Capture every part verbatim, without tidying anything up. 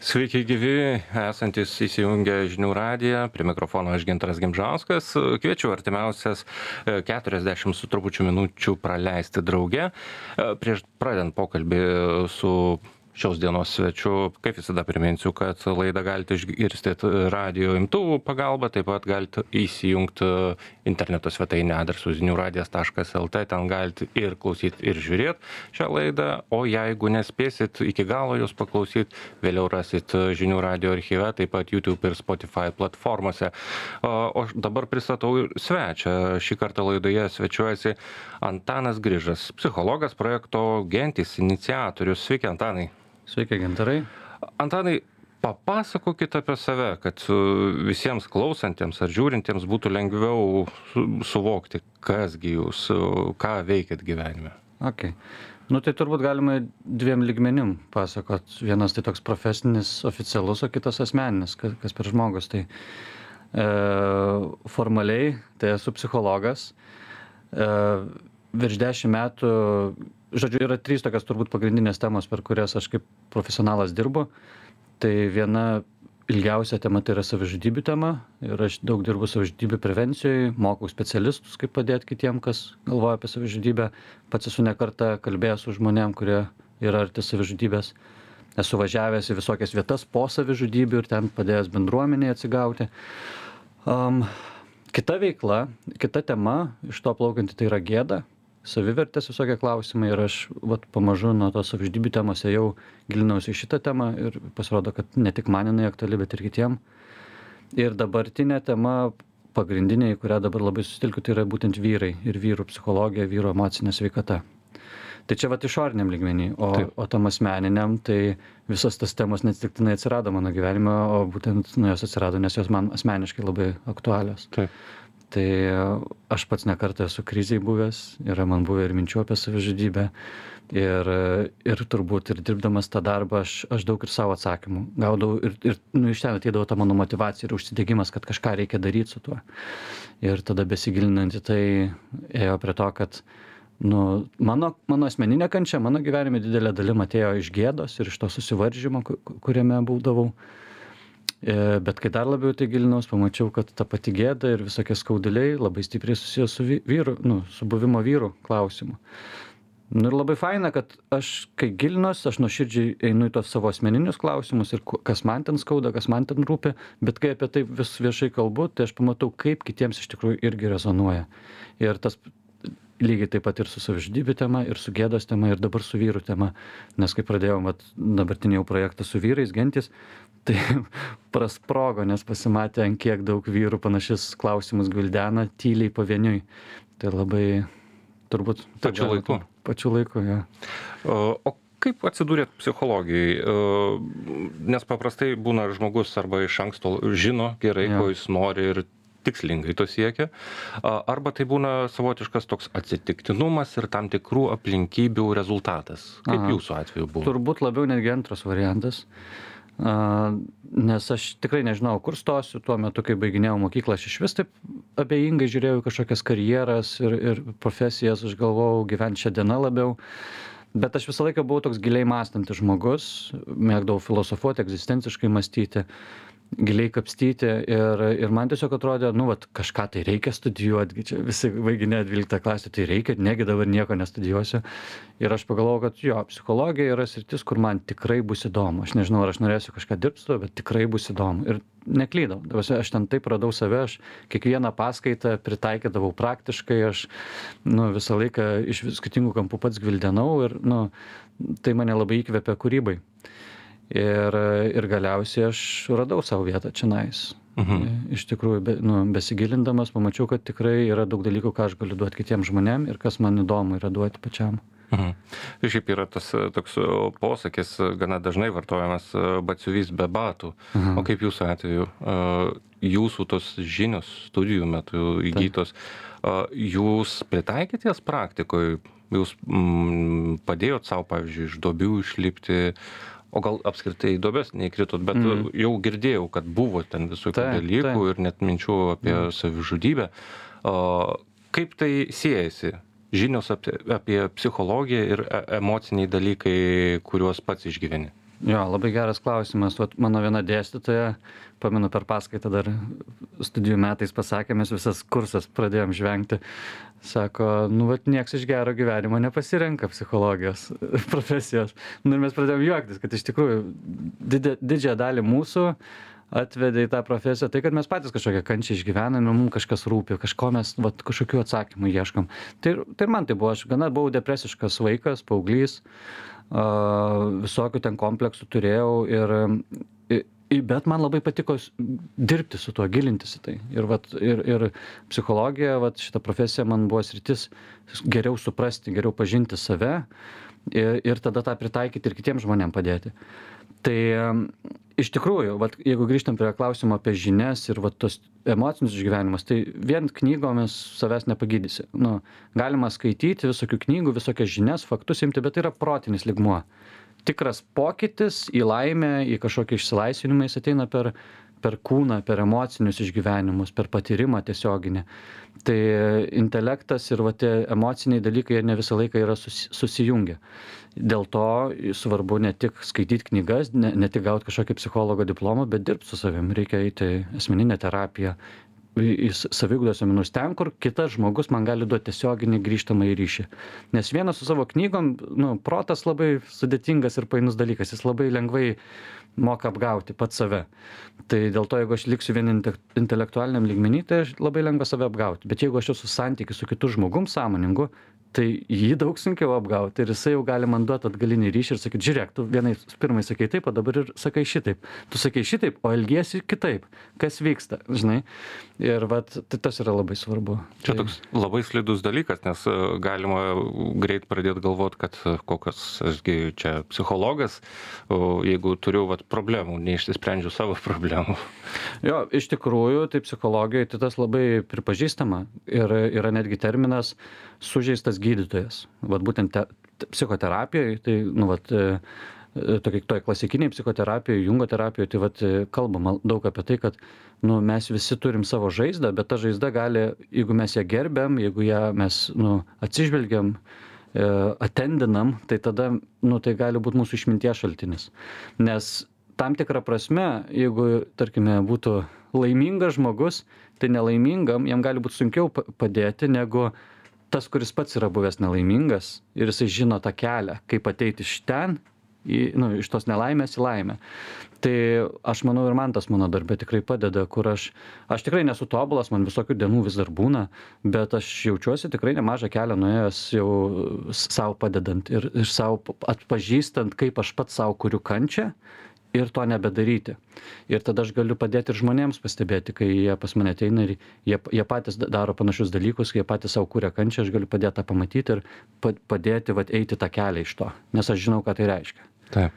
Sveiki gyvi, esantis įsijungę žinių radiją, prie mikrofono aš Gintaras Gimžauskas. Kviečiu artimiausias keturiasdešimt su trupučiu minučių praleisti drauge. Prieš pradedant pokalbį su šios dienos svečiu, kaip visada priminsiu, kad laidą galite išgirsti radio imtuvų pagalba, taip pat galite įsijungti interneto svetainę adresu zinių radijas taškas lt, ten galite ir klausyti, ir žiūrėti šią laidą, o jeigu nespėsit iki galo jūs paklausyti, vėliau rasit žinių radio archyve, taip pat YouTube ir Spotify platformose. O dabar pristatau svečią. Šį kartą laidoje svečiuojasi Antanas Grižas, psichologas, projekto Gentys iniciatorius. Sveiki, Antanai. Sveiki, Gintarai. Antanai, papasakokit apie save, kad visiems klausantiems ar žiūrintiems būtų lengviau suvokti, kasgi jūs, ką veikiat gyvenime. Okay. Nu tai turbūt galima dviem lygmenim pasakot. Vienas tai toks profesinis, oficialus, o kitas asmeninis, kas, kas per žmogus. Tai e, formaliai tai esu psichologas. E, virš dešimt metų, žodžiu, yra trys tokios turbūt pagrindinės temos, per kurias aš kaip profesionalas dirbu. Tai viena ilgiausia tema tai yra savižudybių tema ir aš daug dirbu savižudybių prevencijoj, mokau specialistus, kaip padėti kitiem, kas galvoja apie savižudybę. Pats esu ne kartą kalbėjęs su žmonėm, kurie yra arti savižudybės. Esu važiavęs į visokias vietas po savižudybių ir ten padėjęs bendruomeniai atsigauti. Um, kita veikla, kita tema iš to plaukianti tai yra gėda. Savivertės visokie klausimai ir aš vat, pamažu nuo tos savižudybių temos jau gilinausi į šitą temą ir pasirodo, kad ne tik man jinai aktuali, bet ir kitiem. Ir dabartinė tema pagrindinė, į kurią dabar labai susitelkiu, tai yra būtent vyrai ir vyrų psichologija, vyrų emocinė sveikata. Tai čia vat išoriniam lygmenį, o, o tam asmeniniam, tai visas tas temos neatsitiktinai atsirado mano gyvenime, o būtent nu, jos atsirado, nes jos man asmeniškai labai aktualios. Taip. Tai aš pats ne kartą esu krizėj buvęs, yra man buvę ir minčių apie savižudybę ir, ir turbūt ir dirbdamas tą darbą aš, aš daug ir savo atsakymų gaudavau ir, ir nu, iš ten ateidavo ta mano motyvacija ir užsidegimas, kad kažką reikia daryti su tuo. Ir tada besigilinant į tai ėjo prie to, kad nu, mano, mano asmeninė kančia, mano gyvenime didelė dalim atėjo iš gėdos ir iš to susivaržymo, kuriame būdavau. Bet kai dar labiau tai gilinaus, pamačiau, kad ta pati gėda ir visokie skauduliai labai stipriai susijęs su vyru, nu, su buvimo vyru klausimu. Nu ir labai faina, kad aš, kai gilinuos, aš nuoširdžiai einu į tos savo asmeninius klausimus ir kas man ten skauda, kas man ten rūpi, bet kai apie tai vis viešai kalbu, tai aš pamatau, kaip kitiems iš tikrųjų irgi rezonuoja. Ir tas lygiai taip pat ir su savižudybių tema, ir su gėdos tema, ir dabar su vyrų tema. Nes kai pradėjom vat, dabartinį jau projektą su vyrais, Gentys, tai prasprogo, nes pasimatė, ant kiek daug vyrų panašius klausimus gvildena tyliai pavieniui. Tai labai turbūt... Pačiu laiku. Pačiu laiku, jo. O, o kaip atsidūrėt psichologijai? Nes paprastai būna žmogus arba iš anksto žino gerai, Jo. ko jis nori ir tikslingai to siekia, arba tai būna savotiškas toks atsitiktinumas ir tam tikrų aplinkybių rezultatas. Kaip Aha. jūsų atveju buvo? Turbūt labiau netgi antras variantas. Uh, nes aš tikrai nežinau, kur stosiu. Tuo metu, kai baiginėjau mokyklą, aš iš vis taip abejingai žiūrėjau į kažkokias karjeras ir, ir profesijas, aš galvojau gyventi šią dieną labiau. Bet aš visą laiką buvau toks giliai mąstantis žmogus, mėgdavau filosofuoti, egzistenciškai mąstyti, giliai kapstyti ir, ir man tiesiog atrodė, nu, vat, kažką tai reikia studijuoti, čia visi baiginė dvyliktą klasę, tai reikia, negi dabar nieko nestudijuosiu. Ir aš pagalvojau, kad jo, psichologija yra sritis, kur man tikrai bus įdomu. Aš nežinau, ar aš norėsiu kažką dirbti su to, bet tikrai bus įdomu. Ir neklydau. Aš ten taip radau save, aš kiekvieną paskaitą pritaikydavau praktiškai, aš nu, visą laiką iš skirtingų kampų pats gvildenau ir nu, tai mane labai įkvėpė kūrybai. Ir, ir galiausiai aš radau savo vietą čionais. Mhm. Iš tikrųjų, be, nu, besigilindamas, pamačiau, kad tikrai yra daug dalykų, ką aš galiu duoti kitiem žmonėm ir kas man įdomu yra duoti pačiam. Mhm. Šiaip yra tas toks posakis, gana dažnai vartojamas, batsiuvys be batų. Mhm. O kaip jūsų atveju, jūsų tos žinios studijų metu įgytos, jūs pritaikėt jas praktikoje, jūs mm, padėjot savo, pavyzdžiui, iš duobių išlipti, o gal apskritai į duobes neįkritot, bet mm. jau girdėjau, kad buvo ten visokių tai, dalykų tai. ir net minčių apie mm. savižudybę. Kaip tai siejasi? Žinios apie, apie psichologiją ir emociniai dalykai, kuriuos pats išgyveni? Jo, labai geras klausimas. Vat mano viena dėstytoja, pamenu per paskaitą dar studijų metais pasakė, mes visas kursas pradėjom žvengti. Sako, nu, vat nieks iš gero gyvenimo nepasirenka psichologijos profesijos. Nu, ir mes pradėjom juoktis, kad iš tikrųjų didė, didžiąją dalį mūsų atvedė į tą profesiją, tai kad mes patys kažkokią kančią išgyvename, mums kažkas rūpi, kažko mes, vat, kažkokių atsakymų ieškom. Tai, tai ir man tai buvo, aš gana buvau depresiškas vaikas, paauglys, visokių ten kompleksų turėjau ir, bet man labai patiko dirbti su tuo, gilintis į tai. Ir, vat, ir, ir psichologija, vat, šita profesija man buvo sritis geriau suprasti, geriau pažinti save ir, ir tada tą pritaikyti ir kitiems žmonėms padėti. Tai iš tikrųjų, vat, jeigu grįžtam prie klausimo apie žinias ir vat, tos emocinius išgyvenimus, tai vien knygomis savęs nepagydysi. Nu, galima skaityti visokių knygų, visokias žinias, faktus imti, bet tai yra protinis lygmuo. Tikras pokytis į laimę, į kažkokį išsilaisvinimą, jis ateina per, per kūną, per emocinius išgyvenimus, per patyrimą tiesioginį. Tai intelektas ir va, tie emociniai dalykai ne visą laiką yra susi, susijungę. Dėl to svarbu ne tik skaityti knygas, ne, ne tik gauti kažkokį psichologo diplomą, bet dirbti su savim. Reikia eiti asmeninę terapiją, į saviugdos seminarus ten, kur kitas žmogus man gali duoti tiesioginį grįžtamą į ryšį. Nes vienas su savo knygom, nu, protas labai sudėtingas ir painus dalykas, jis labai lengvai moka apgauti pats save. Tai dėl to, jeigu aš liksiu vien intelektualiniam lygmenį, tai aš labai lengva save apgauti. Bet jeigu aš esu santykiu su kitu žmogum sąmoningu, tai jį daug sunkiau apgauti ir jisai jau gali man duoti atgalinį ryšį ir sakyti, žiūrėk, tu vienai pirmai sakai taip, o dabar ir sakai šitaip. Tu sakai šitaip, o elgiesi kitaip. Kas vyksta, žinai? Ir vat, tai tas yra labai svarbu. Čia tai... toks labai slidus dalykas, nes galima greit pradėti galvoti, kad kokias, ašgi čia psichologas, o jeigu turiu vat, problemų, neišsisprendžiu savo problemų. Jo, iš tikrųjų, tai psichologijoje tai tas labai pripažįstama ir yra netgi terminas sužeistas gydytojas. Vat būtent te, psichoterapijoje, tai, nu, vat, tokiai toj klasikiniai psichoterapijoje, Jungo terapijoje, tai vat kalbama daug apie tai, kad, nu, mes visi turim savo žaizdą, bet ta žaizda gali, jeigu mes ją gerbiam, jeigu ją mes, nu, atsižvelgiam, atendinam, tai tada, nu, tai gali būti mūsų išminties šaltinis. Nes tam tikrą prasme, jeigu, tarkime, būtų laimingas žmogus, tai nelaimingam jam gali būti sunkiau padėti negu tas, kuris pats yra buvęs nelaimingas ir jisai žino tą kelią, kaip ateiti iš ten, į, nu, iš tos nelaimės į laimę. Tai aš manau ir man tas mano darbė tikrai padeda, kur aš, aš tikrai nesu tobulas, man visokių dienų vis dar būna, bet aš jaučiuosi tikrai nemažą kelią nuėjęs jau savo padedant ir, ir savo atpažįstant, kaip aš pats savo kuriu kančią ir to nebedaryti. Ir tada aš galiu padėti ir žmonėms pastebėti, kai jie pas mane ateina ir jie, jie patys daro panašius dalykus, jie patys savo kuria kančią, aš galiu padėti tą pamatyti ir padėti vat, eiti tą kelią iš to, nes aš žinau, ką tai reiškia. Taip.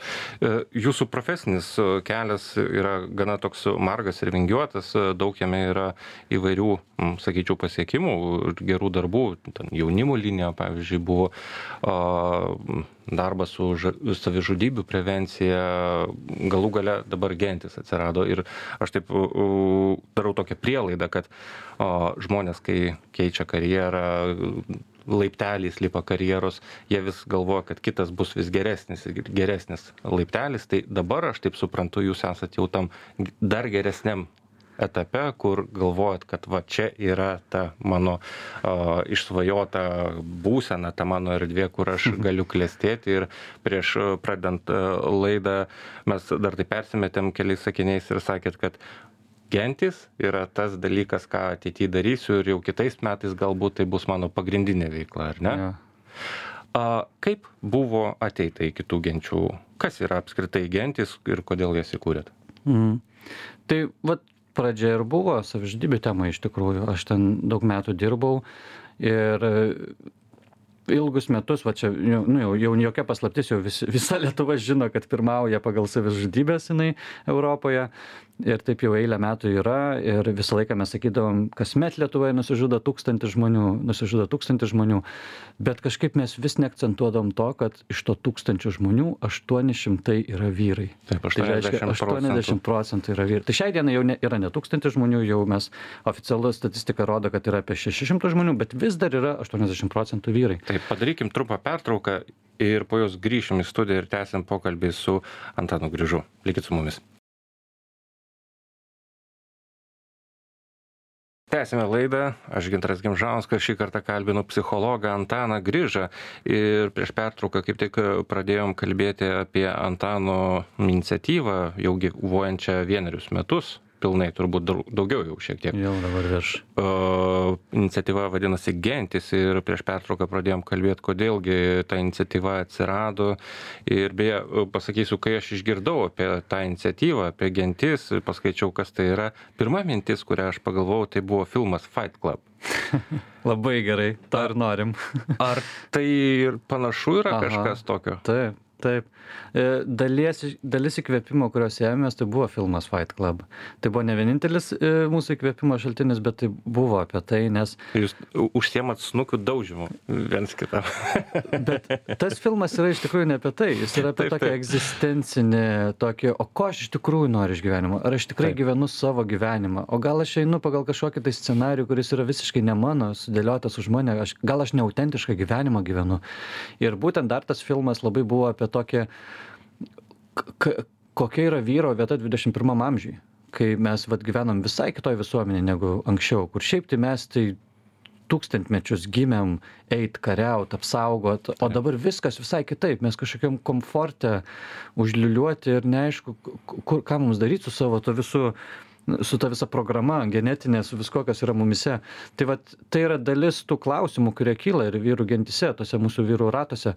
Jūsų profesinis kelias yra gana toks margas ir vingiuotas, daug jame yra įvairių, sakyčiau, pasiekimų, gerų darbų, jaunimo linija, pavyzdžiui, buvo darbas su savižudybių prevencija, galų gale dabar gentis atsirado ir aš taip darau tokią prielaidą, kad žmonės, kai keičia karjerą, laiptelis lipa karjeros, jie vis galvoja, kad kitas bus vis geresnis ir geresnis laiptelis, tai dabar aš taip suprantu, jūs esat jau tam dar geresniam etape, kur galvojat, kad va čia yra ta mano uh, išsvajota būsena, ta mano erdvė, kur aš galiu klestėti ir prieš pradant uh, laidą mes dar tai persimetėm keliais sakiniais ir sakėt, kad gentis yra tas dalykas, ką ateityje darysiu ir jau kitais metais galbūt tai bus mano pagrindinė veikla, ar ne? Ja. A, kaip buvo ateita į kitų genčių? Kas yra apskritai gentis ir kodėl jas įkūrėt? Mhm. Tai vat pradžia ir buvo savižudybių tema iš tikrųjų. Aš ten daug metų dirbau ir ilgus metus, va čia, nu, jau, jau jokia paslaptis, jau vis, visa Lietuva žino, kad pirmauja pagal savižudybės jinai Europoje. Ir taip jau eilę metų yra ir visą laiką mes sakydavom, kasmet Lietuvoje nusižudo tūkstantis žmonių, nusižudo tūkstantis žmonių, bet kažkaip mes vis neakcentuodom to, kad iš to tūkstančių žmonių aštuoni šimtai yra vyrai. Taip, Tai reiškia, aštuoniasdešimt procentų yra vyrai. Tai šiai dienai jau ne, yra ne tūkstantis žmonių, jau mes oficialus statistika rodo, kad yra apie šešis šimtus žmonių, bet vis dar yra aštuoniasdešimt procentų vyrai. Taip, padarykim trumpą pertrauką ir po jos grįšim į studiją ir tęsim pokalbį su Antanu Grižu. Likit su mumis. Tęsime laidą, aš Gintaras Gimžauskas, šį kartą kalbinu psichologą Antaną Grižą ir prieš pertrauką kaip tik pradėjom kalbėti apie Antano iniciatyvą, jau gyvuojančią vienerius metus, pilnai turbūt daugiau jau šiek tiek. Jau dabar virš. Uh, iniciatyva vadinasi Gentis ir prieš pertrauką pradėjom kalbėti, kodėlgi ta iniciatyva atsirado. Ir beje, pasakysiu, kai aš išgirdau apie tą iniciatyvą, apie Gentis, paskaičiau, kas tai yra. Pirma mintis, kurią aš pagalvojau, tai buvo filmas Fight Club. Labai gerai, tą ir norim. Ar tai ir panašu yra Aha, kažkas tokio? Taip. Taip. Dalies, dalis įkvėpimo, kurios ėmės, tai buvo filmas Fight Club. Tai buvo ne vienintelis mūsų įkvėpimo šaltinis, bet tai buvo apie tai, nes... Jūs užsiemat snukių daužymu viens kitam. Bet tas filmas yra iš tikrųjų ne apie tai. Jis yra apie Taip, tokią taip. egzistencinį, tokį, o ko aš iš tikrųjų noriu iš gyvenimo? Ar aš tikrai Taip. gyvenu savo gyvenimą? O gal aš einu pagal kažkokį tai scenarijų, kuris yra visiškai ne mano, sudėliotas už mane? Aš, gal aš neautentišką gyvenimą gyvenu? Ir būtent dar tas filmas labai buvo apie tokį, k kokia yra vyro vieta dvidešimt pirmam amžiui, kai mes vat gyvenam visai kitoj visuomenėje negu anksčiau, kur šiaip tai mes tai tūkstantmečius gimėm eit, kariaut, apsaugot, o dabar viskas visai kitaip, mes kažkokiam komforte užliuliuoti ir neaišku, kur, ką mums daryti su savo to visų, su ta visa programa genetinė, su visko, kas yra mumise. Tai vat, tai yra dalis tų klausimų, kurie kyla ir vyrų gentise, tose mūsų vyrų ratuose,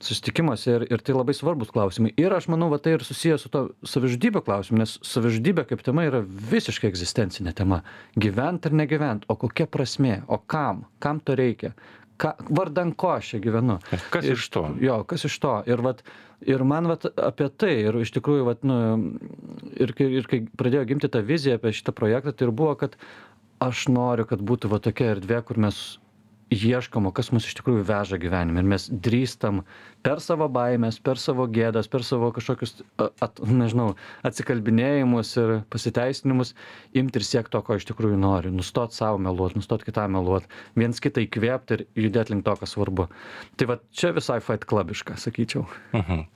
susitikimuose ir, ir tai labai svarbus klausimai. Ir aš manau, va, tai ir susijęs su to savižudybė klausimu, nes savižudybė kaip tema yra visiškai egzistencinė tema. Gyvent ar negyvent, o kokia prasmė, o kam, kam to reikia. Ką, vardan ko aš čia gyvenu. Kas ir, iš to? Jo, kas iš to. Ir, vat, ir man vat, apie tai, ir iš tikrųjų, vat, nu, ir, kai, ir kai pradėjo gimti tą viziją apie šitą projektą, tai ir buvo, kad aš noriu, kad būtų va tokia erdvė, kur mes ieškom, o kas mus iš tikrųjų veža gyvenime. Ir mes drįstam per savo baimės, per savo gėdas, per savo kažkokius, at, nežinau, atsikalbinėjimus ir pasiteisinimus imti ir siekti to, ko iš tikrųjų nori. Nustot savo meluot, nustot kitam meluot, viens kitą įkvėpti ir judėti link to, kas svarbu. Tai va čia visai Fight Clubiška, sakyčiau. Mhm.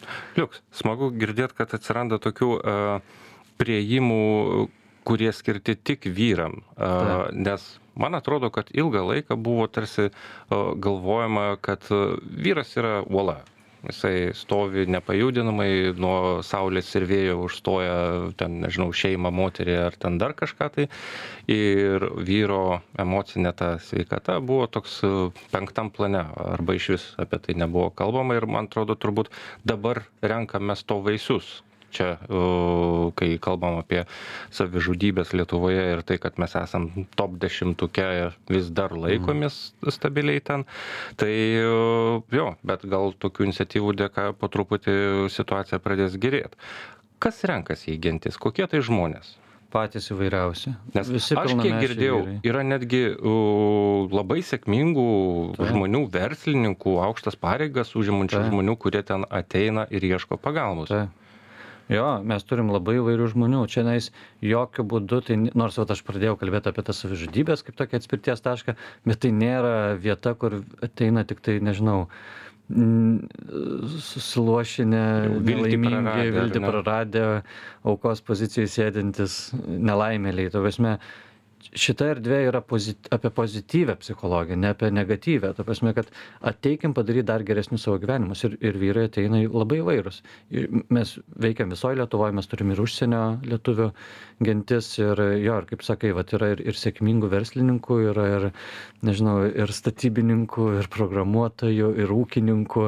Liuks, smagu girdėti, kad atsiranda tokių uh, priėjimų, kurie skirti tik vyram, uh, nes man atrodo, kad ilgą laiką buvo tarsi uh, galvojama, kad uh, vyras yra uola. Jisai stovi nepajudinamai, nuo saulės ir vėjo užstoja ten, nežinau, šeimą, moterį ar ten dar kažką tai. Ir vyro emocinė ta sveikata buvo toks penktam plane, arba iš vis apie tai nebuvo kalbama. Ir man atrodo, turbūt dabar renkamės to vaisius. Čia, kai kalbam apie savižudybės Lietuvoje ir tai, kad mes esam top dešimtuke vis dar laikomis stabiliai ten, tai jo, bet gal tokių iniciatyvų dėka po truputį situacija pradės gerėti. Kas renkasi į Gentis? Kokie tai žmonės? Patys įvairiausi. Nes Visi aš kiek girdėjau, vyrai. Yra netgi uh, labai sėkmingų tai. žmonių, verslininkų, aukštas pareigas užimančių tai. žmonių, kurie ten ateina ir ieško pagalbos. Tai. Jo, mes turim labai įvairių žmonių. Čia nais jokių būdų, tai, nors vat, aš pradėjau kalbėti apie tas savižudybės kaip tokia atspirties tašką, bet tai nėra vieta, kur ateina tik tai, nežinau, susilošinę, nelaimingi, viltį praradę, aukos pozicijai sėdintis nelaimėliai. Ta prasme, šita erdvė yra pozit, apie pozityvę psichologiją, ne apie negatyvę. Ta prasme, kad ateikim padaryti dar geresnius savo gyvenimus. Ir, ir vyrai ateina labai įvairūs. Ir mes veikiam visoje Lietuvoje, mes turim ir užsienio lietuvių gentis. Ir jo, ir kaip sakai, vat, yra ir, ir sėkmingų verslininkų, yra ir, nežinau, ir statybininkų, ir programuotojų, ir ūkininkų,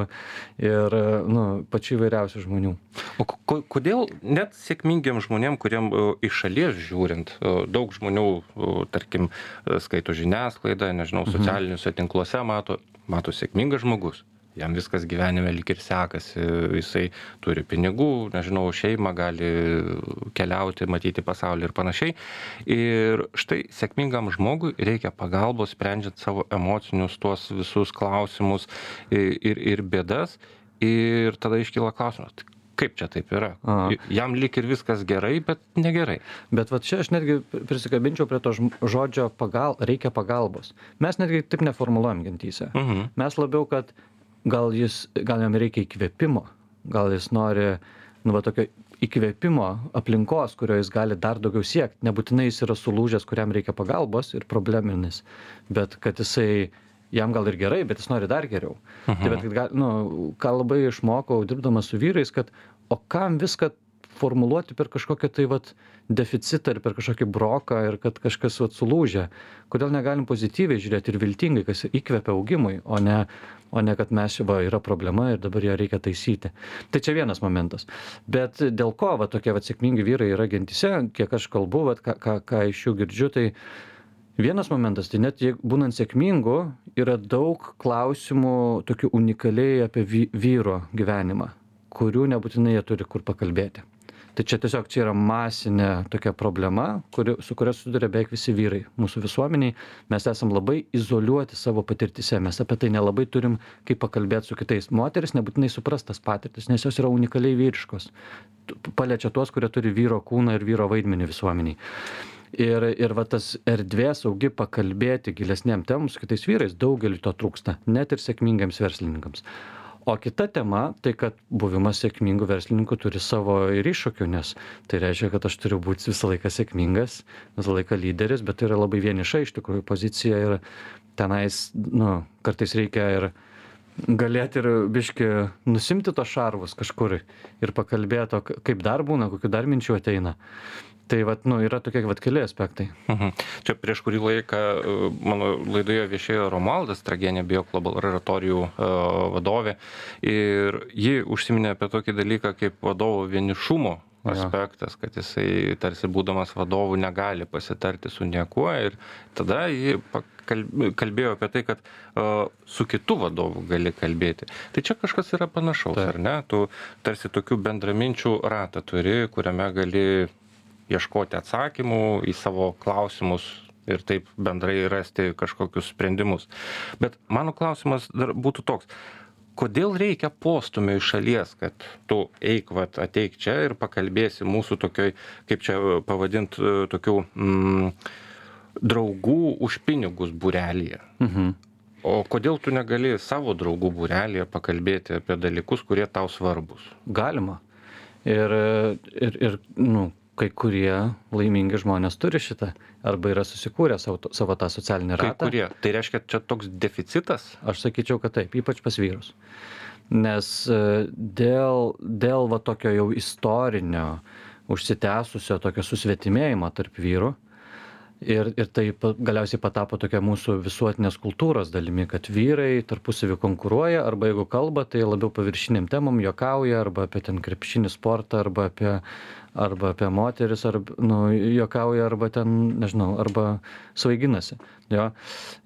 ir nu, pačių įvairiausių žmonių. O ko, kodėl net sėkmingiam žmonėm, kuriem uh, iš šalies žiūrint, uh, daug žmonių uh, tarkim, skaito žiniasklaidą, nežinau, socialiniuose tinkluose mato, mato sėkmingas žmogus. jam viskas gyvenime lyg ir sekasi, jisai turi pinigų, nežinau, šeimą, gali keliauti, matyti pasaulį ir panašiai. Ir štai sėkmingam žmogui reikia pagalbos, sprendžiant savo emocinius tuos visus klausimus ir, ir bėdas. Ir tada iškyla klausimas, kaip čia taip yra? Aha. Jam lyg ir viskas gerai, bet negerai. Bet va čia aš netgi prisikabinčiau prie to žodžio pagal, reikia pagalbos. Mes netgi taip neformuluojam gentyse. Mhm. Mes labiau, kad gal, jis, gal jam reikia įkvėpimo, gal jis nori nu, va, tokio įkvėpimo aplinkos, kurio jis gali dar daugiau siekti. Nebūtinai jis yra sulūžęs, kuriam reikia pagalbos ir probleminis, bet kad jisai jam gal ir gerai, bet jis nori dar geriau. Mhm. Tai bet, gal, nu, ką labai išmokau dirbdamas su vyrais, kad o kam viską formuluoti per kažkokią tai vat deficitą ir per kažkokį broką ir kad kažkas vat sulūžia. Kodėl negalim pozityviai žiūrėti ir viltingai, kas įkvepia augimui, o ne, o ne kad mes va, yra problema ir dabar ją reikia taisyti. Tai čia vienas momentas. Bet dėl ko va, tokie va, sėkmingi vyrai yra gentyse, kiek aš kalbu, va, ką, ką, ką iš jų girdžiu, tai vienas momentas, tai net būnant sėkmingu, yra daug klausimų tokių unikaliai apie vyro gyvenimą, kurių nebūtinai jie turi kur pakalbėti. Tai čia tiesiog čia yra masinė tokia problema, kuri, su kuria susiduria beveik visi vyrai mūsų visuomeniai. Mes esam labai izoliuoti savo patirtise, mes apie tai nelabai turim kaip pakalbėti su kitais. Moteris nebūtinai supras tas patirtis, nes jos yra unikaliai vyriškos. Paliečia tuos, kurie turi vyro kūną ir vyro vaidmenį visuomeniai. Ir, ir va tas erdvės saugi pakalbėti gilesnėm temom su kitais vyrais, daugeliu to trūksta, net ir sėkmingiems verslininkams. O kita tema, tai kad buvimas sėkmingų verslininkų turi savo ir iššūkių, nes tai reiškia, kad aš turiu būti visą laiką sėkmingas, visą laiką lyderis, bet tai yra labai vieniša iš tikrųjų pozicija ir tenais, nu, kartais reikia ir galėti ir biški nusimti tos šarvus kažkur ir pakalbėti, kaip dar būna, kokių dar minčių ateina. Tai vat, nu, yra tokie vat keli aspektai. Mhm. Čia prieš kurį laiką mano laidoje viešėjo Romualdas Tragienė, Bioklub laboratorijų vadovė, ir ji užsiminė apie tokį dalyką kaip vadovo vienišumo aspektas, kad jisai tarsi būdamas vadovu negali pasitarti su niekuo, ir tada ji kalbėjo apie tai, kad uh, su kitu vadovu gali kalbėti. Tai čia kažkas yra panašaus, tai. Ar ne? Tu tarsi tokių bendraminčių ratą turi, kuriame gali ieškoti atsakymų į savo klausimus ir taip bendrai rasti kažkokius sprendimus. Bet mano klausimas dar būtų toks. Kodėl reikia postumio iš šalies, kad tu eik, vat, ateik čia ir pakalbėsi mūsų tokioj, kaip čia pavadint, tokių mm, draugų už pinigus būrelyje? Mhm. O kodėl tu negali savo draugų būrelyje pakalbėti apie dalykus, kurie tau svarbus? Galima. Ir, ir, ir nu, kai kurie laimingi žmonės turi šitą, arba yra susikūrę savo, savo tą socialinį ratą. Kai kurie. Tai reiškia, čia toks deficitas? Aš sakyčiau, kad taip, ypač pas vyrus. Nes dėl, dėl va tokio jau istorinio, užsitęsusio tokio susvetimėjimo tarp vyrų, ir, ir tai galiausiai patapo tokia mūsų visuotinės kultūros dalimi, kad vyrai tarpusavį konkuruoja, arba jeigu kalba, tai labiau paviršiniam temam juokauja, arba apie ten krepšinį sportą, arba apie, arba apie moteris, arba, nu, juokauja, arba ten, nežinau, arba svaiginasi. Jo.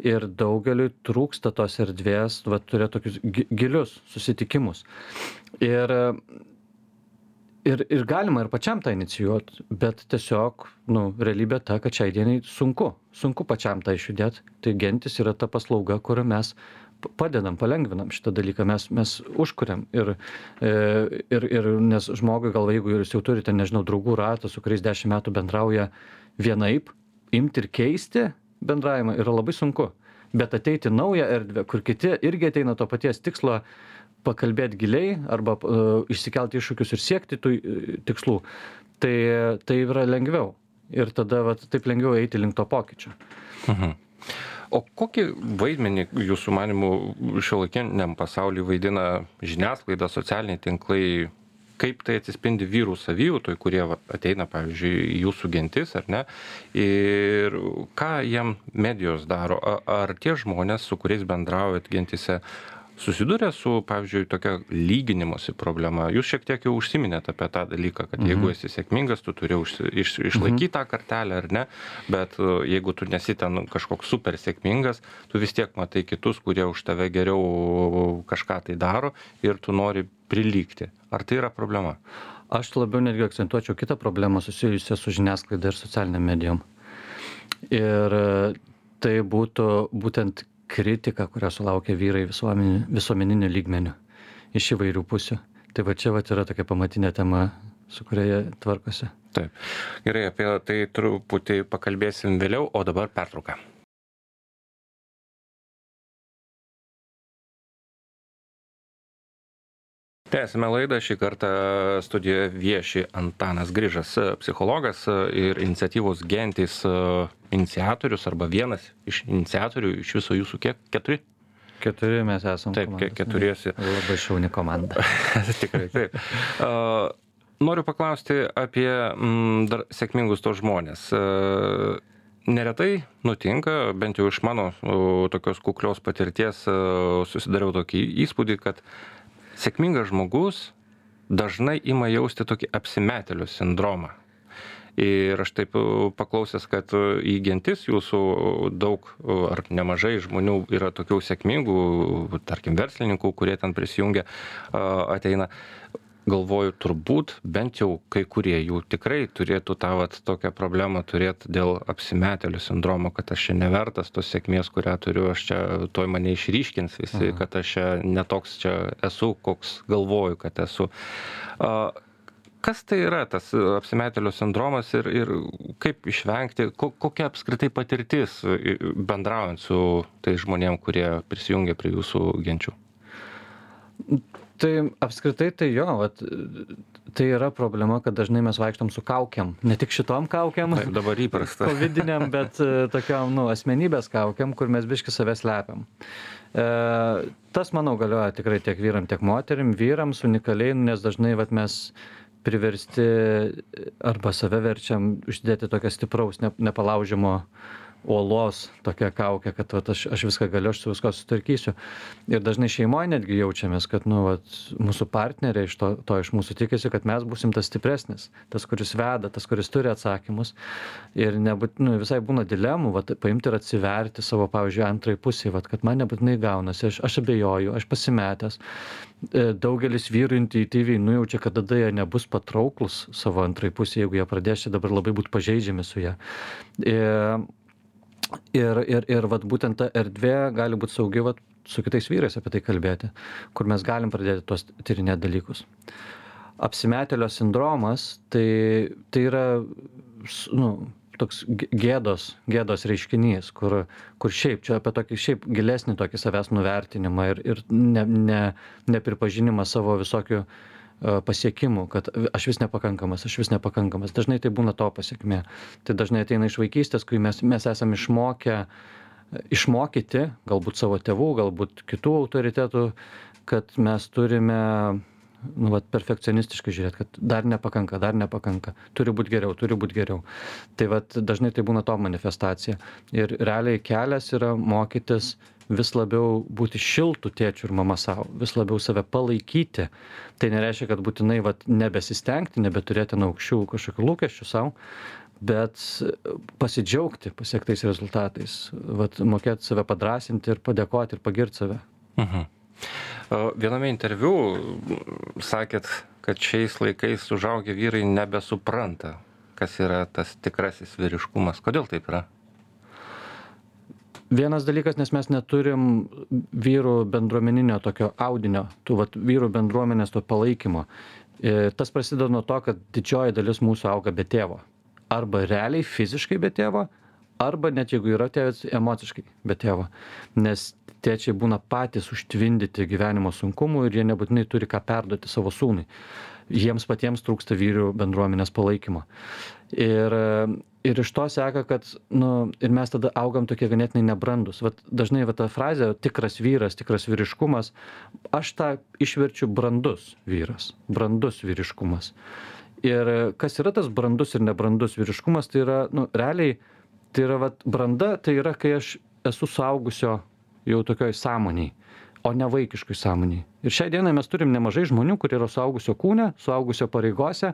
Ir daugeliui trūksta tos erdvės, va, turėti tokius gilius susitikimus. Ir Ir, ir galima ir pačiam tą inicijuoti, bet tiesiog, nu, realybė ta, kad šiai dienai sunku, sunku pačiam tą išjudėti. Tai gentis yra ta paslauga, kurią mes padedam, palengvinam šitą dalyką, mes, mes užkuriam. Ir, ir, ir nes žmogui gal, jeigu jūs jau turite, nežinau, draugų ratą, su kuriais dešimt metų bendrauja vienaip, imti ir keisti bendravimą yra labai sunku. Bet ateiti naują erdvę, kur kiti irgi ateina to paties tikslo, pakalbėti giliai arba uh, išsikelti iššūkius ir siekti tų uh, tikslų, tai, tai yra lengviau. Ir tada vat, taip lengviau eiti link to pokyčio. Mhm. O kokį vaidmenį jūsų manimų šiuolaikiniam pasaulyje vaidina žiniasklaida, socialiniai tinklai? Kaip tai atsispindi vyrų savijautoj, kurie vat, ateina, pavyzdžiui, jūsų gentis, ar ne? Ir ką jiem medijos daro? Ar tie žmonės, su kuriais bendraujat gentise, susiduria su, pavyzdžiui, tokia lyginimosi problema. Jūs šiek tiek jau užsiminėte apie tą dalyką, kad jeigu esi sėkmingas, tu turi užsi, iš, išlaikyti tą kartelę ar ne, bet jeigu tu nesi ten kažkoks super sėkmingas, tu vis tiek matai kitus, kurie už tave geriau kažką tai daro ir tu nori prilygti. Ar tai yra problema? Aš labiau netgi akcentuočiau kitą problemą susijusią su žiniasklaida ir socialiniam medijom. Ir tai būtų būtent kritika, kurią sulaukia vyrai visuomeniniu lygmeniu iš įvairių pusių. Tai va čia va yra tokia pamatinė tema, su kuria jie tvarkosi. Taip. Gerai, apie tai truputį pakalbėsim vėliau, o dabar pertrauka. Tęsime laidą. Šį kartą studijoje vieši Antanas Grižas, psichologas ir iniciatyvos Gentys iniciatorius arba vienas iš iniciatorių. Iš viso jūsų kiek? Keturi? Keturi mes esame. Taip, keturiesi. Labai šauni komanda. Tikrai, taip. Uh, noriu paklausti apie mm, dar sėkmingus tos žmonės. Uh, neretai nutinka, bent jau iš mano uh, tokios kuklios patirties uh, susidariau tokį įspūdį, kad sėkmingas žmogus dažnai ima jausti tokį apsimetėlio sindromą. Ir aš taip paklausęs, kad į Gentis jūsų daug ar nemažai žmonių yra tokių sėkmingų, tarkim, verslininkų, kurie ten prisijungia, ateina. Galvoju, turbūt bent jau kai kurie jų tikrai turėtų tą vat tokią problemą turėti dėl apsimetėlių sindromo, kad aš čia nevertas tos sėkmės, kurią turiu, aš čia tuoj mane išryškins visi, Aha. kad aš čia netoks čia esu, koks galvoju, kad esu. Kas tai yra tas apsimetėlio sindromas ir, ir kaip išvengti, ko, kokia apskritai patirtis bendraujant su tais žmonėm, kurie prisijungia prie jūsų genčių? Tai apskritai tai jo, vat, tai yra problema, kad dažnai mes vaikštam su kaukiam. Ne tik šitom kaukiam, Taip, dabar įprasta. Covidiniam, bet tokiam, nu, asmenybės kaukiam, kur mes biški save slepiam. E, tas, manau, galioja tikrai tiek vyram, tiek moterim, vyrams unikaliai, nes dažnai vat, mes priversti arba save verčiam uždėti tokią stipraus, ne, nepalaužimo uolos tokia kaukė, kad vat, aš, aš viską galiu, aš su viską sutvarkysiu. Ir dažnai šeimoje netgi jaučiamės, kad nu, vat, mūsų partneriai iš to, to iš mūsų tikisi, kad mes būsim tas stipresnis, tas, kuris veda, tas, kuris turi atsakymus. Ir nebūt, nu, visai būna dilemų, vat, paimti ir atsiverti savo, pavyzdžiui, antrai pusiai, vat, kad man nebūtinai gaunasi, aš, aš abejoju, aš pasimetęs. Daugelis vyrų intuityviai nujaučia, kad tada jie nebus patrauklus savo antrai pusiai, jeigu jie pradės čia dabar labai būti pažeidžiami su ją. Ir, Ir, ir, ir vat, būtent ta erdvė gali būti saugi vat, su kitais vyrais apie tai kalbėti, kur mes galim pradėti tuos tyrinėti dalykus. Apsimetėlio sindromas tai, tai yra nu, toks gėdos, gėdos reiškinys, kur, kur šiaip, čia apie tokį šiaip gilesnį tokį savęs nuvertinimą ir, ir ne, ne, nepripažinimą savo visokių pasiekimų, kad aš vis nepakankamas, aš vis nepakankamas. Dažnai tai būna to pasiekmė. Tai dažnai ateina iš vaikystės, kai mes, mes esame išmokę, išmokyti, galbūt savo tėvų, galbūt kitų autoritetų, kad mes turime nu, vat, perfekcionistiškai žiūrėti, kad dar nepakanka, dar nepakanka. Turi būti geriau, turi būti geriau. Tai vat, dažnai tai būna to manifestacija. Ir realiai kelias yra mokytis vis labiau būti šiltų tėčių ir mama savo, vis labiau save palaikyti. Tai nereiškia, kad būtinai vat, nebesistengti, nebeturėti aukščių kažkokių lūkesčių savo, bet pasidžiaugti pasiektais rezultatais, vat, mokėti save padrąsinti ir padėkoti ir pagirti save. Mhm. Viename interviu sakėt, kad šiais laikais užaugę vyrai nebesupranta, kas yra tas tikrasis vyriškumas. Kodėl taip yra? Vienas dalykas, nes mes neturim vyrų bendruomeninio tokio audinio, tų vat, vyrų bendruomenės to palaikymo. E, tas prasideda nuo to, kad didžioji dalis mūsų auga be tėvo. Arba realiai fiziškai be tėvo, arba net jeigu yra tėvas, emociškai be tėvo. Nes tėčiai būna patys užtvindyti gyvenimo sunkumų ir jie nebūtinai turi ką perduoti savo sūnui. Jiems patiems trūksta vyrų bendruomenės palaikymo. Ir, ir iš to seka, kad nu, ir mes tada augam tokie ganėtinai nebrandus. Vat, dažnai va, ta frazė tikras vyras, tikras vyriškumas, aš tą išverčiu brandus vyras, brandus vyriškumas. Ir kas yra tas brandus ir nebrandus vyriškumas, tai yra, nu, realiai, tai yra vat, branda, tai yra, kai aš esu suaugusio jau tokioj sąmoniai. o ne vaikiškoj sąmonėj. Ir šiai dienai mes turim nemažai žmonių, kurie yra suaugusio kūne, suaugusio pareigose,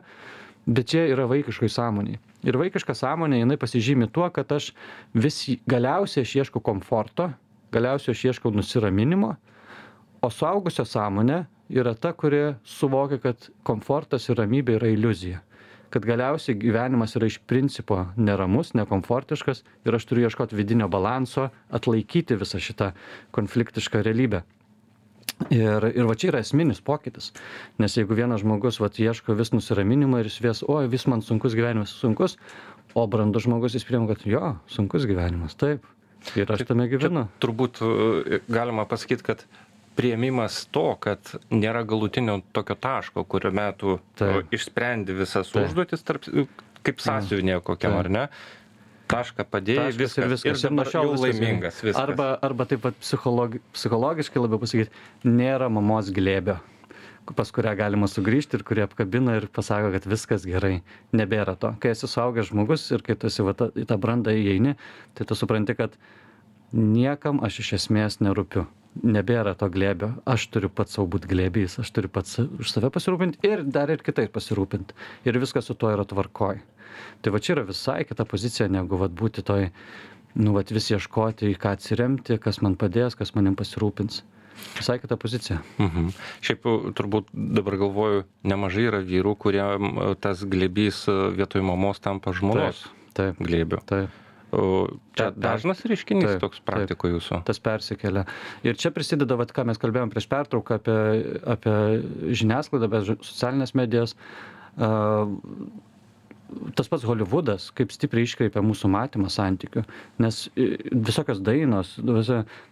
bet jie yra vaikiškoj sąmonėj. Ir vaikiška sąmonė, jinai pasižymi tuo, kad aš vis galiausiai aš ieškau komforto, galiausiai aš ieškau nusiraminimo, o suaugusio sąmonė yra ta, kuri suvokia, kad komfortas ir ramybė yra iliuzija. Kad galiausiai gyvenimas yra iš principo neramus, nekomfortiškas ir aš turiu ieškoti vidinio balanso, atlaikyti visą šitą konfliktišką realybę. Ir, ir va čia yra esminis pokytis. Nes jeigu vienas žmogus va, ieško vis nusiraminimo ir jis vis, oi, vis man sunkus gyvenimas, sunkus, o brandus žmogus jis priima, kad jo, sunkus gyvenimas, taip. Ir aš tame gyvenu. Čia turbūt galima pasakyti, kad priėmimas to, kad nėra galutinio tokio taško, kurio metu Taip. išsprendi visas Taip. užduotis, tarp, kaip sąsiuvinė kokiam, Taip. ar ne? Tašką padėjai, Taškas viskas. ir viskas. Ir dabar nuo šiol jau viskas laimingas. gerai. Viskas. Arba, arba taip pat psichologi, psichologiškai labiau pasakyti, nėra mamos glėbio, pas kurią galima sugrįžti ir kurie apkabina ir pasako, kad viskas gerai. Nebėra to. Kai esi suaugęs žmogus ir kai tu esi va, ta, į tą brandą įeini, tai tu supranti, kad niekam aš iš esmės nerūpiu. Nebėra to glėbio. Aš turiu pats savo būti glėbys, aš turiu pats už save pasirūpinti ir dar ir kitais pasirūpinti. Ir viskas su tuo yra tvarkoj. Tai va čia yra visai kita pozicija, negu vat, būti toj, nu, vat, vis ieškoti, į ką atsiremti, kas man padės, kas manim pasirūpins. Visai kita pozicija. Mhm. Šiaip turbūt dabar galvoju, nemažai yra vyrų, kurie tas glėbys vietoj mamos tampa žmonos Taip, glėbiu. taip. O čia Taip, dažnas reiškinys taip, toks praktikoje jūsų? Tas persikelia. Ir čia prisideda, vat, ką mes kalbėjom prieš pertrauką apie, apie žiniasklaidą, apie socialinės medijas. Uh, tas pats Hollywoodas, kaip stipriai iškreipia mūsų matymą santykių. Nes visokios dainos,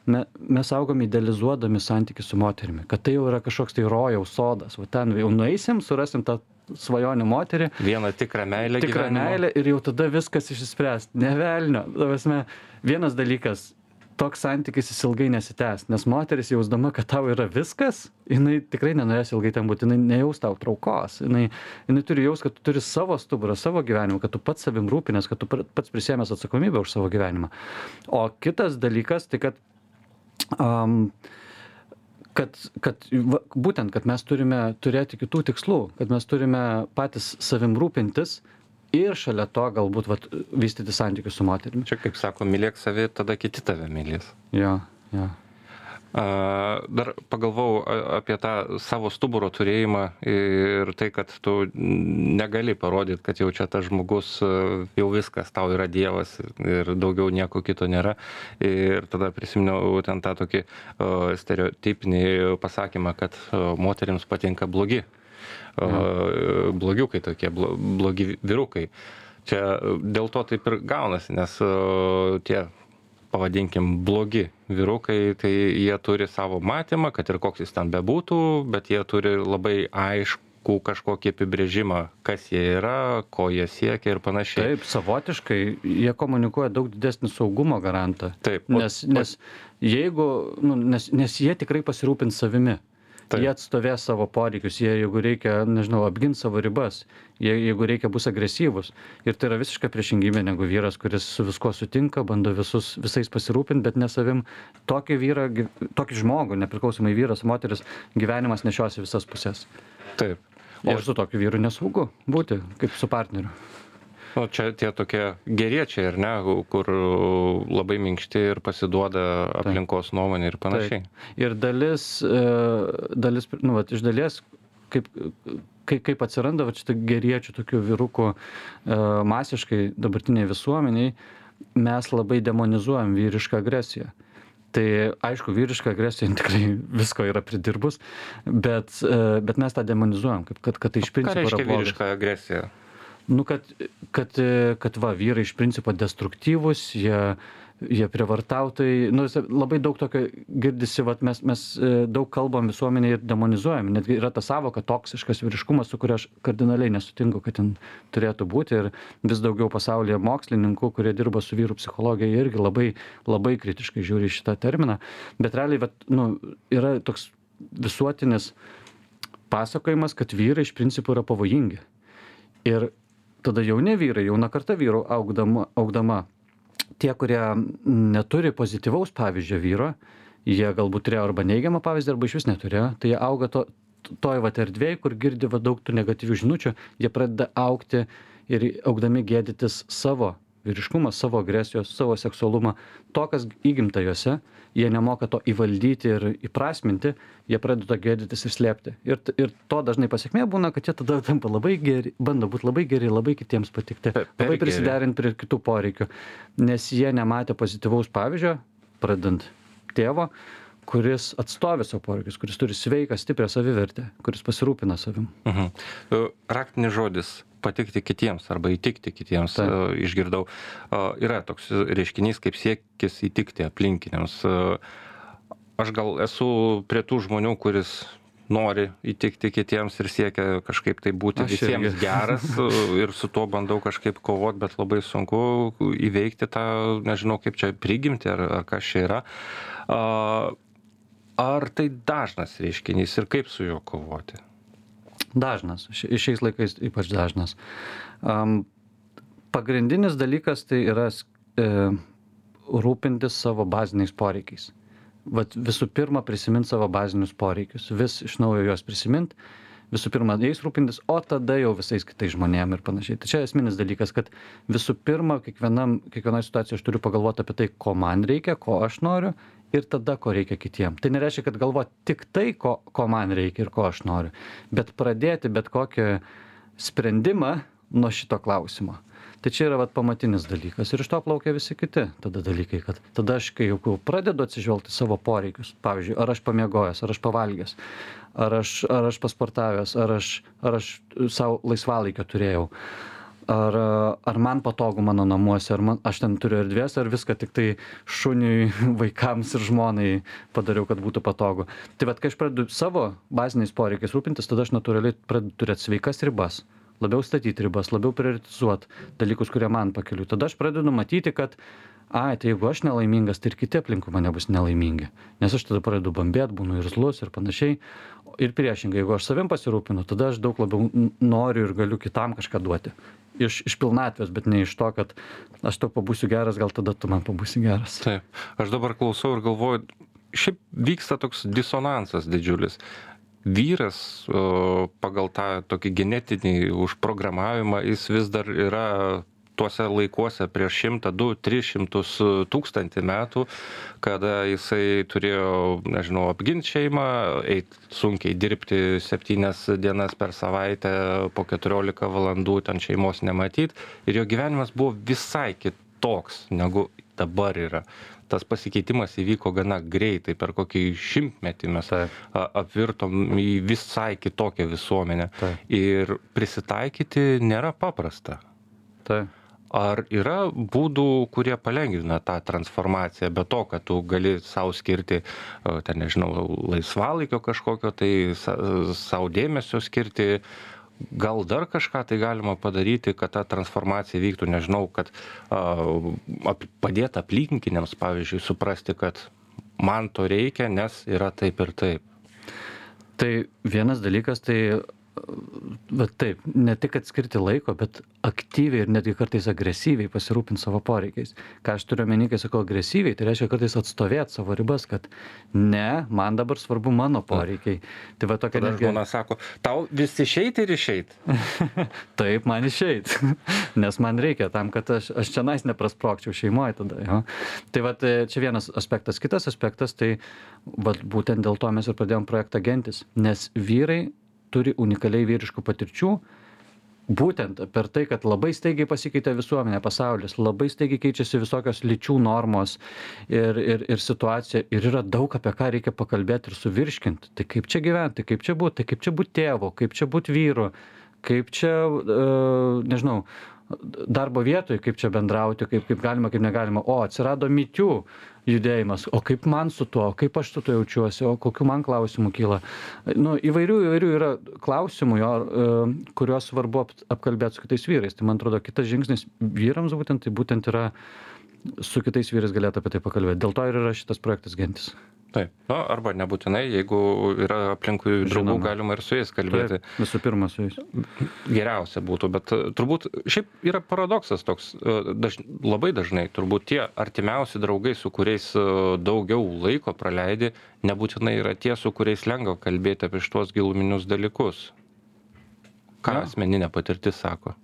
me, mes augom idealizuodami santykių su moterimi, kad tai jau yra kažkoks tai rojaus sodas. Va ten jau nueisim, surasim tą svajonių moterį. Vieną tikrą meilę tikrą gyvenimo. meilę ir jau tada viskas išsispręs. Ne velnio. Tavasme, vienas dalykas, toks santykis jis ilgai nesitęs, nes moteris jausdama, kad tau yra viskas, jinai tikrai nenorės ilgai ten būti, jinai nejaus tau traukos, jinai, jinai turi jaus, kad tu turi savo stuburą, savo gyvenimą, kad tu pats savim rūpinės, kad tu pats prisėmęs atsakomybę už savo gyvenimą. O kitas dalykas, tai kad um, kad, kad va, būtent, kad mes turime turėti kitų tikslų, kad mes turime patys savim rūpintis ir šalia to galbūt vat, vystyti santykius su moterimi. Čia, kaip sako, mylėk savi, tada kiti tave mylės. Jo, jo. Dar pagalvojau apie tą savo stuburo turėjimą ir tai, kad tu negali parodyti, kad jau čia tas žmogus jau viskas, tau yra dievas ir daugiau nieko kito nėra. Ir tada prisiminiau ten tą tokį stereotipinį pasakymą, kad moterims patinka blogi. Blogiukai tokie, blogi vyrukai. Čia dėl to taip ir gaunasi, nes tie pavadinkim, blogi vyrukai, tai jie turi savo matymą, kad ir koks jis ten bebūtų, bet jie turi labai aiškų kažkokį apibrėžimą, kas jie yra, ko jie siekia ir panašiai. Taip, savotiškai jie komunikuoja daug didesnį saugumo garantą. Taip. Nes, nes jeigu, nu, nes, nes jie tikrai pasirūpins savimi. Taip. Jie atstovės savo poreikius, jie, jeigu reikia, nežinau, apginti savo ribas, jie, jeigu reikia, bus agresyvus. Ir tai yra visiška priešingybė negu vyras, kuris su viskuo sutinka, bando visus, visais pasirūpinti, bet ne savim. Tokį vyrą, tokį žmogų, nepriklausomai vyras, moteris, gyvenimas nešiosi visas pusės. Taip. O ir su tokiu vyru nesaugu būti, kaip su partneriu. O čia tie tokie geriečiai, ar ne, kur labai minkšti ir pasiduoda aplinkos nuomonė ir panašiai. Taip. Ir dalis, dalis nu, vat, iš dalies, kaip, kaip, kaip atsiranda vat, šitą geriečių tokių vyrukų masiškai dabartiniai visuomeniai, mes labai demonizuojam vyrišką agresiją. Tai aišku, vyriška agresija tikrai visko yra pridirbus, bet, bet mes tą demonizuojam, kaip, kad, kad tai iš principo yra blogas. Ką reiškia vyriška agresija? Nu, kad, kad, kad va, vyrai iš principo destruktyvūs, jie, jie prievartautojai, nu, labai daug tokio girdisi, va, mes, mes daug kalbam visuomenėje ir demonizuojam, netgi yra ta savoka toksiškas vyriškumas, su kuria aš kardinaliai nesutinku, kad ten turėtų būti ir vis daugiau pasaulyje mokslininkų, kurie dirba su vyrų psichologija, irgi labai, labai kritiškai žiūri šitą terminą, bet realiai, va, nu, yra toks visuotinis pasakojimas, kad vyrai iš principo yra pavojingi. Ir tada jauni vyrai, jauna karta vyrų augdama, augdama, tie, kurie neturi pozityvaus pavyzdžio vyro, jie galbūt turėjo arba neigiamą pavyzdį, arba iš vis neturėjo, tai jie auga to, toj vat erdvėj, kur girdi va daug tų negatyvių žinučių, jie pradeda augti ir augdami gėdytis savo vyriškumą, savo agresijos, savo seksualumą, to, kas įgimta juose, jie nemoka to įvaldyti ir įprasminti, jie pradeda gėdytis ir slėpti. Ir, ir to dažnai pasiekmė būna, kad jie tada tampa labai geri, bando būti labai geri, labai kitiems patikti, labai prisiderinti prie kitų poreikių, nes jie nematė pozityvaus pavyzdžio, pradant tėvo, kuris atstovi savo poreikius, kuris turi sveiką, stiprią savivertę, kuris pasirūpina savim. Mhm. Raktinis žodis patikti kitiems arba įtikti kitiems, Taip. išgirdau. Yra toks reiškinys kaip siekis įtikti aplinkiniams. Aš gal esu prie tų žmonių, kuris nori įtikti kitiems ir siekia kažkaip tai būti Aš visiems irgi. geras ir su tuo bandau kažkaip kovoti, bet labai sunku įveikti tą, nežinau kaip čia prigimti ar, ar kas čia yra. Ar tai dažnas reiškinys ir kaip su juo kovoti? Dažnas, ši- šiais laikais ypač dažnas. Um, pagrindinis dalykas tai yra e, rūpintis savo baziniais poreikiais. Vat visų pirma prisiminti savo bazinius poreikius, vis iš naujo juos prisiminti, visų pirma jais rūpintis, o tada jau visais kitais žmonėm ir panašiai. Tai čia esminis dalykas, kad visų pirma kiekvienam, kiekvienoje situacijoje aš turiu pagalvoti apie tai, ko man reikia, ko aš noriu ir tada, ko reikia kitiem. Tai nereiškia, kad galvoti tik tai, ko, ko man reikia ir ko aš noriu, bet pradėti bet kokį sprendimą nuo šito klausimo. Tai čia yra vat pamatinis dalykas ir iš to plaukia visi kiti tada dalykai, kad tada aš, kai jau pradedu atsižvelgti savo poreikius, pavyzdžiui, ar aš pamiegojęs, ar aš pavalgęs, ar aš, ar aš pasportavęs, ar aš, ar aš savo laisvalaikio turėjau, ar, ar man patogu mano namuose, ar man, aš ten turiu erdvės, ar viską tik tai šuniui, vaikams ir žmonai padariau, kad būtų patogu. Tai vat, kai aš pradedu savo baziniais poreikiais rūpintis, tada aš natūraliai pradedu turėti sveikas ribas. Labiau statyti ribas, labiau prioritizuoti dalykus, kurie man pakeliu. Tada aš pradedu matyti, kad, ai, tai jeigu aš nelaimingas, tai ir kiti aplinkui mane bus nelaimingi. Nes aš tada pradedu bambėti, būnu irzlus ir panašiai. Ir priešingai, jeigu aš savim pasirūpinu, tada aš daug labiau noriu ir galiu kitam kažką duoti. Iš, iš pilnatvės, bet ne iš to, kad aš tau pabūsiu geras, gal tada tu man pabūsi geras. Taip. Aš dabar klausau ir galvoju, šiaip vyksta toks disonansas didžiulis. Vyras pagal tą tokį genetinį užprogramavimą, jis vis dar yra tuose laikuose prieš šimtą, du, tris šimtus tūkstantį metų, kada jisai turėjo, nežinau, apginti šeimą, eit sunkiai dirbti septynias dienas per savaitę, po keturiolika valandų ten šeimos nematyt. Ir jo gyvenimas buvo visai kitoks, negu dabar yra. Tas pasikeitimas įvyko gana greitai, per kokį šimtmetį mes apvirtom į visai kitokią visuomenę. Taip. Ir prisitaikyti nėra paprasta. Tai. Ar yra būdų, kurie palengvina tą transformaciją, be to, kad tu gali savo skirti, ten nežinau, laisvalaikio kažkokio, tai savo dėmesio skirti, gal dar kažką tai galima padaryti, kad ta transformacija vyktų, nežinau, kad uh, padėti aplinkiniams, pavyzdžiui, suprasti, kad man to reikia, nes yra taip ir taip. Tai vienas dalykas, tai bet taip, ne tik atskirti laiko, bet aktyviai ir netgi kartais agresyviai pasirūpinti savo poreikiais. Ką aš turiu omeny, kai sakau agresyviai, tai reiškia kartais atstovėti savo ribas, kad ne, man dabar svarbu mano poreikiai. Tai va tokia Tada netgi... žmona sako, tau vis išeit ir išeit. Taip, man išeit, nes man reikia tam, kad aš, aš čia nais neprasprokčiau šeimoje tada. Jo. Tai va, čia vienas aspektas. Kitas aspektas, tai va, būtent dėl to mes ir pradėjom projektą Gentis, nes vyrai turi unikaliai vyriškų patirčių, būtent per tai, kad labai staigiai pasikeitė visuomenė, pasaulis, labai staigiai keičiasi visokios lyčių normos ir, ir, ir situacija, ir yra daug apie ką reikia pakalbėti ir suvirškinti. Tai kaip čia gyventi, kaip čia būti, tai kaip čia būti tėvu, kaip čia būti vyru, kaip čia, uh, nežinau, darbo vietoje, kaip čia bendrauti, kaip, kaip galima, kaip negalima. O, atsirado mytių judėjimas, o kaip man su tuo, kaip aš su tuo jaučiuosi, o kokių man klausimų kyla. Nu, įvairių, įvairių yra klausimų, jo, kuriuos svarbu apkalbėti su kitais vyrais. Tai man atrodo, kitas žingsnis vyrams būtent, tai būtent yra su kitais vyrais galėtų apie tai pakalbėti. Dėl to ir yra šitas projektas Gentis. Taip. Na, arba nebūtinai, jeigu yra aplinkui draugų, Žinoma. galima ir su jais kalbėti. Taip, visų pirma su jais. Geriausia būtų, bet e, turbūt šiaip yra paradoksas toks, e, daž, labai dažnai turbūt tie artimiausi draugai, su kuriais e, daugiau laiko praleidi, nebūtinai yra tie, su kuriais lengva kalbėti apie šitos giluminius dalykus. Ką Ja. asmeninė patirtis sako?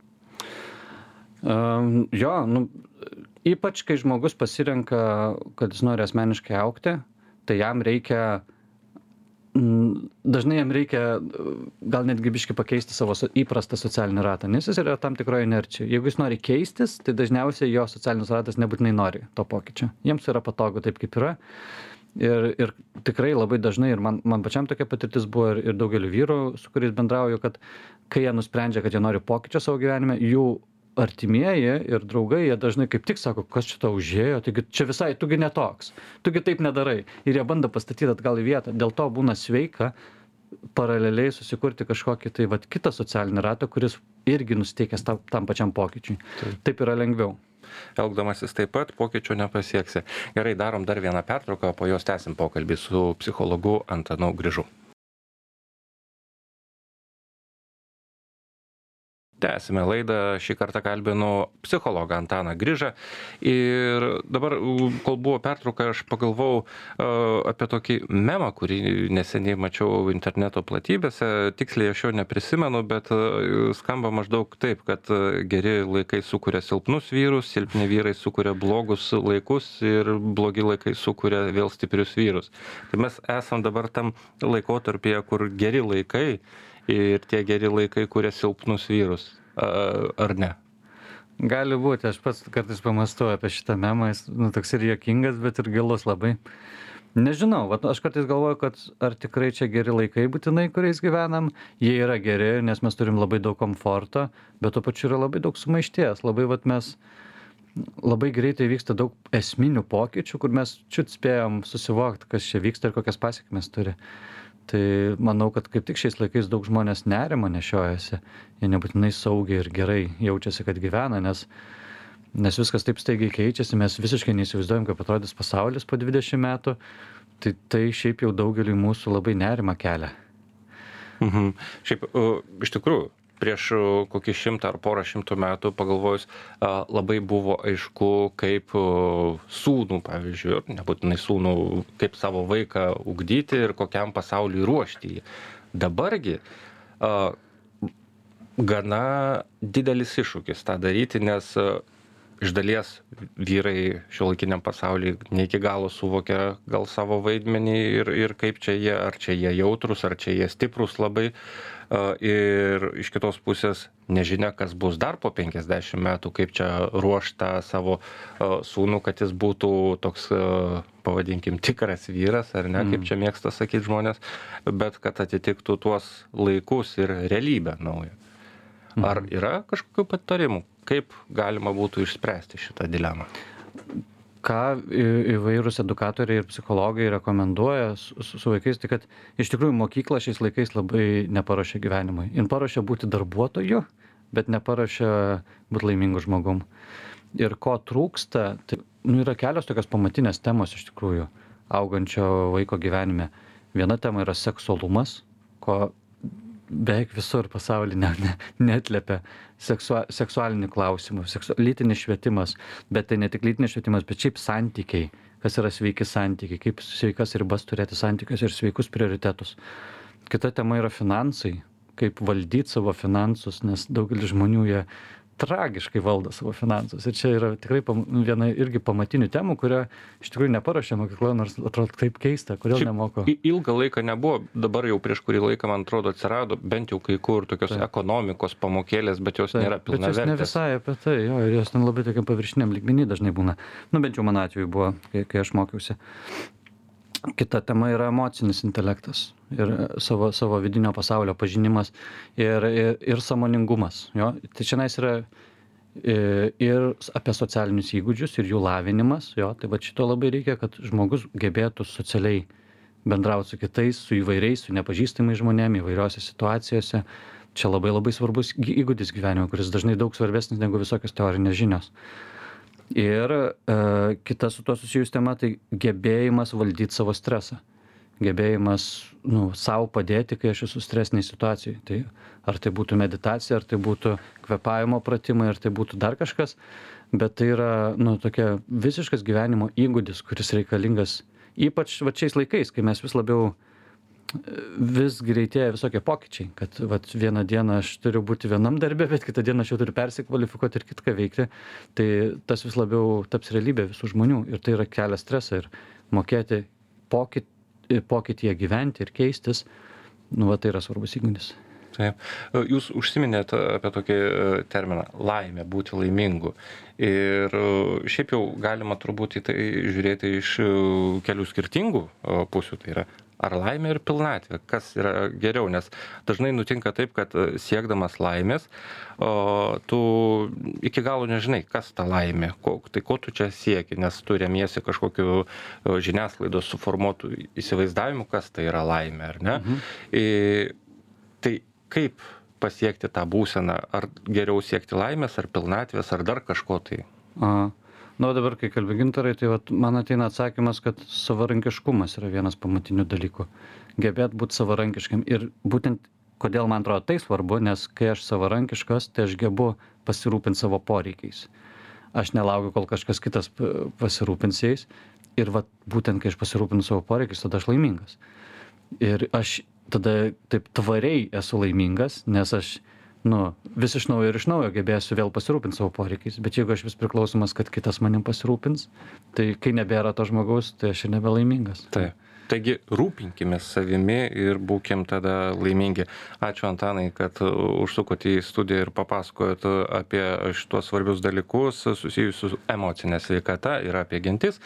Um, jo, nu, ypač kai žmogus pasirenka, kad jis nori asmeniškai augti, tai jam reikia, mm, dažnai jam reikia uh, gal netgi biškai pakeisti savo so- įprastą socialinį ratą, nes jis yra tam tikroje inercijoje. Jeigu jis nori keistis, tai dažniausiai jo socialinis ratas nebūtinai nori to pokyčio. Jiems yra patogu taip, kaip yra. Ir, ir tikrai labai dažnai, ir man, man pačiam tokia patirtis buvo, ir, ir daugeliu vyrų, su kuriais bendrauju, kad kai jie nusprendžia, kad jie nori pokyčio savo gyvenime, jų artimieji ir draugai, jie dažnai kaip tik sako, kas čia tau užėjo, taigi čia visai, tugi netoks, tugi taip nedarai. Ir jie bando pastatyti atgal į vietą. Dėl to būna sveika paraleliai susikurti kažkokį tai vat, kitą socialinį ratą, kuris irgi nusteikęs tam, tam pačiam pokyčiui. Taip. Taip yra lengviau. Elgdamasis taip pat pokyčio nepasieksi. Gerai, darom dar vieną pertrauką, po jos tęsim pokalbį su psichologu Antanu Grižu. Tęsime laidą, šį kartą kalbinu psichologą Antaną Grižą ir dabar, kol buvo pertrauka, aš pagalvojau uh, apie tokį memą, kurį neseniai mačiau interneto platybėse, tiksliai aš jo neprisimenu, bet uh, skamba maždaug taip, kad uh, geri laikai sukuria silpnus vyrus, silpni vyrai sukuria blogus laikus ir blogi laikai sukuria vėl stiprius vyrus. Tai mes esam dabar tam laikotarpyje, kur geri laikai ir tie geri laikai kuria silpnus vyrus, ar ne? Gali būti, aš pats kartais pamąstau apie šitą memą, jis nu, toks ir juokingas, bet ir gilus labai. Nežinau, vat, aš kartais galvoju, kad ar tikrai čia geri laikai būtinai, kuriais gyvenam, jie yra geri, nes mes turim labai daug komforto, bet tuo pačiu yra labai daug sumaišties, labai vat, mes labai greitai vyksta daug esminių pokyčių, kur mes čiut spėjom susivokti, kas čia vyksta ir kokias pasiekmes turi. Tai manau, kad kaip tik šiais laikais daug žmonės nerimo nešiojasi, jie nebūtinai saugiai ir gerai jaučiasi, kad gyvena, nes, nes viskas taip staigiai keičiasi, mes visiškai neįsivaizduojam, kaip atrodys pasaulis po dvidešimt metų, tai tai šiaip jau daugeliui mūsų labai nerima kelia. Mhm. Šiaip, uh, iš tikrųjų, prieš uh, kokį šimtą ar porą šimtų metų pagalvojus, uh, labai buvo aišku, kaip uh, sūnų, pavyzdžiui, nebūtinai sūnų, kaip savo vaiką ugdyti ir kokiam pasauliui ruošti jį. Dabargi uh, gana didelis iššūkis tą daryti, nes uh, iš dalies vyrai šiuolaikiniam pasauliui ne iki galo suvokia gal savo vaidmenį ir, ir kaip čia jie, ar čia jie jautrus, ar čia jie stiprus labai. Uh, ir iš kitos pusės nežinia, kas bus dar po penkiasdešimt metų, kaip čia ruošta savo uh, sūnų, kad jis būtų toks, uh, pavadinkim, tikras vyras, ar ne, mm. kaip čia mėgsta sakyti žmonės, bet kad atitiktų tuos laikus ir realybę naują. Mm. Ar yra kažkokių patarimų, kaip galima būtų išspręsti šitą dilemą? Ką įvairūs edukatoriai ir psichologai rekomenduoja su, su vaikais, tai kad iš tikrųjų mokykla šiais laikais labai neparuošia gyvenimui. Jin paruošia būti darbuotoju, bet neparuošia būti laimingu žmogum. Ir ko trūksta, tai nu, yra kelios tokios pamatinės temos iš tikrųjų augančio vaiko gyvenime. Viena tema yra seksualumas, ko beveik visur pasaulyje ne, ne, neatliepia seksua, seksualinį klausimą, seksu, lytinis švietimas, bet tai ne tik lytinis švietimas, bet šiaip santykiai, kas yra sveiki santykiai, kaip sveikas ribas turėti santykius ir sveikus prioritetus. Kita tema yra finansai, kaip valdyti savo finansus, nes daugelis žmonių jie tragiškai valdo savo finansus. Ir čia yra tikrai pam, viena irgi pamatinių temų, kurio iš tikrųjų neparuošia mokykla, nors atrodo taip keista, kodėl Šiaip nemoko. Ilgą laiką nebuvo, dabar jau prieš kurį laiką, man atrodo, atsirado bent jau kai kur tokios Taip. ekonomikos pamokėlės, bet jos Taip, nėra bet jos ne pilnavertės. visai apie tai, jo, ir jos ten labai tokiam paviršiniam lygmenį dažnai būna. Nu, bent jau mano atveju buvo, kai, kai aš mokiausi. Kita tema yra emocinis intelektas ir savo, savo vidinio pasaulio pažinimas ir, ir, ir sąmoningumas. Jo? Tai šiandien yra ir apie socialinius įgūdžius ir jų lavinimas. Jo? Tai va šito labai reikia, kad žmogus gebėtų socialiai bendrauti su kitais, su įvairiais, su nepažįstamais žmonėmis, įvairiose situacijose. Čia labai labai svarbus įgūdis gyvenimo, kuris dažnai daug svarbesnis negu visokios teorinės žinios. Ir e, kita su to susijus tema, tai gebėjimas valdyti savo stresą. Gebėjimas nu, savo padėti, kai aš esu stresiniai situacijai. Tai ar tai būtų meditacija, ar tai būtų kvėpavimo pratimai, ar tai būtų dar kažkas, bet tai yra nu, tokia visiškas gyvenimo įgūdis, kuris reikalingas ypač va, šiais laikais, kai mes vis labiau vis greitėja visokie pokyčiai, kad vat, vieną dieną aš turiu būti vienam darbe, bet kitą dieną aš jau turiu persikvalifikuoti ir kitką veikti, tai tas vis labiau taps realybė visų žmonių ir tai yra kelia stresą ir mokėti pokyt, pokytyje gyventi ir keistis, nu, va, tai yra svarbus įgūdis. Taip. Jūs užsiminėt apie tokį terminą laimė, būti laimingu. Ir šiaip jau galima turbūt į tai žiūrėti iš kelių skirtingų pusių. Tai yra ar laimė ir pilnatvė, kas yra geriau, nes dažnai nutinka taip, kad siekdamas laimės, o, tu iki galo nežinai, kas ta laimė, ko, tai ko tu čia sieki, nes tu remiesi kažkokiu žiniasklaidos suformuotų įsivaizdavimu, kas tai yra laimė, ar ne? Mhm. Ir, tai kaip pasiekti tą būseną, ar geriau siekti laimės, ar pilnatvės, ar dar kažko tai? Aha. Nu, dabar, kai kalbi Gintarai, tai vat, man ateina atsakymas, kad savarankiškumas yra vienas pamatinių dalykų. Gebėt būti savarankiškam. Ir būtent, kodėl man atrodo tai svarbu, nes kai aš savarankiškas, tai aš gebu pasirūpinti savo poreikiais. Aš nelaukiu, kol kažkas kitas pasirūpins jais. Ir vat, būtent, kai aš pasirūpinu savo poreikiais, tada aš laimingas. Ir aš tada taip tvariai esu laimingas, nes aš nu, vis iš naujo ir iš naujo gebėsiu vėl pasirūpinti savo poreikiais. Bet jeigu aš vis priklausomas, kad kitas manim pasirūpins, tai kai nebėra to žmogaus, tai aš ir nebelaimingas. Taip. Taigi rūpinkime savimi ir būkim tada laimingi. Ačiū Antanai, kad užsukote į studiją ir papasakojot apie šitos svarbius dalykus susijusius su emocinė sveikata ir apie gentis.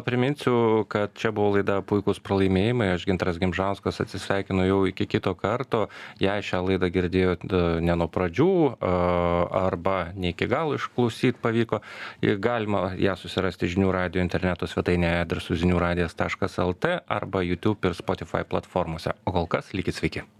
Priminsiu, kad čia buvo laida Puikūs pralaimėjimai. Aš Gintaras Gimžauskas atsisveikinu jau iki kito karto. Jei šią laidą girdėjot ne nuo pradžių arba ne iki galo išklausyti pavyko, galima ją susirasti žinių radijo interneto svetainėje adresu žinių radijas taškas lt arba YouTube ir Spotify platformose. O kol kas likit sveiki.